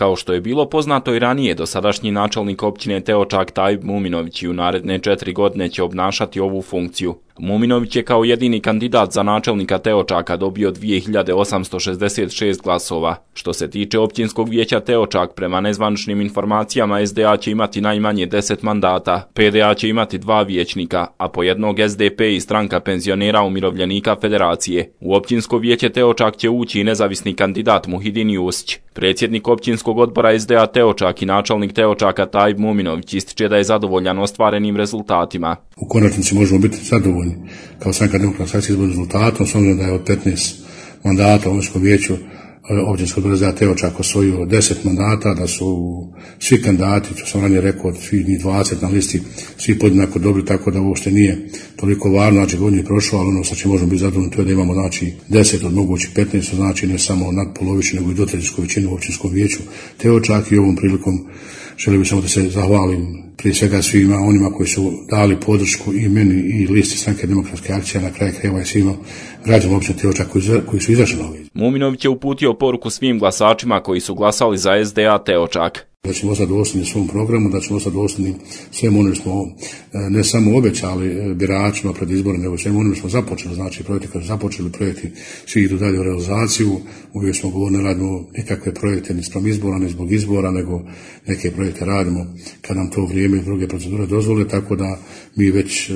Kao što je bilo poznato i ranije, dosadašnji načelnik općine Teočak Tajib Muminović i u naredne 4 godine će obnašati ovu funkciju. Muminović je kao jedini kandidat za načelnika Teočaka dobio 2866 glasova. Što se tiče općinskog vijeća Teočak, prema nezvaničnim informacijama SDA će imati najmanje 10 mandata, PDA će imati 2 vijećnika, a po jednog SDP i stranka penzionera umirovljenika Federacije. U općinsko vijeće Teočak će ući i nezavisni kandidat Muhidin Jusić. Predsjednik općinskog odbora SDA Teočak i načelnik Teočaka Tajib Muminović ističe da je zadovoljan ostvarenim rezultatima. U konačnici možemo biti zadovoljni kao Stranka demokratska akcija izbornim rezultatom, s obzirom da je od 15 mandata u općinskom vijeću općinskog odbora SDA Teočak osvojio 10 mandata, da su svi kandidati, što sam ranije rekao, od svih 20 na listi, svi podjednako dobri, tako da uopšte nije toliko važno, znači godin je prošao, ali ono što će možemo biti zadovoljni to je da imamo znači 10 od mogućih 15, znači ne samo nadpolovičnu nego i dvotrećinsku većinu u općinskom vijeću Teočak. I ovom prilikom želim samo da se zahvalim prije svega svima onima koji su dali podršku i meni i listi Stranke demokratske akcije, na kraju krajeva i svima građanima općine Teočak koji su izašli na ovaj. Muminović je uputio poruku svim glasačima koji su glasali za SDA Teočak. Da ćemo ostati dosljedni svom programu, da ćemo ostati dosljedni svemu onome smo ne samo obećali biračima pred izbore, nego svemu onome smo započeli, znači projekti koji su započeli, projekti svi idu dalje u realizaciju. Uvijek smo govorili, ne radimo nikakve projekte ni spram izbora, ni zbog izbora, nego neke projekte radimo kad nam to vrijeme i druge procedure dozvole, tako da mi već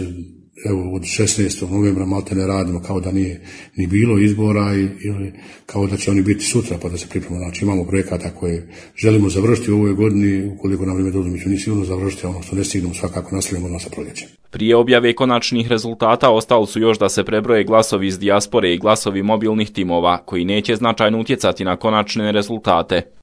evo od 16. novembra malte ne radimo kao da nije ni bilo izbora ili kao da će oni biti sutra pa da se pripremimo. Znači imamo projekata koje želimo završiti u ovoj godini, ukoliko nam vrijeme dozvoli mi ćemo ni sigurno završiti, a ono što ne stignemo svakako nastavljamo odmah sa proljećem. Prije objave konačnih rezultata ostalo su još da se prebroje glasovi iz dijaspore i glasovi mobilnih timova koji neće značajno utjecati na konačne rezultate.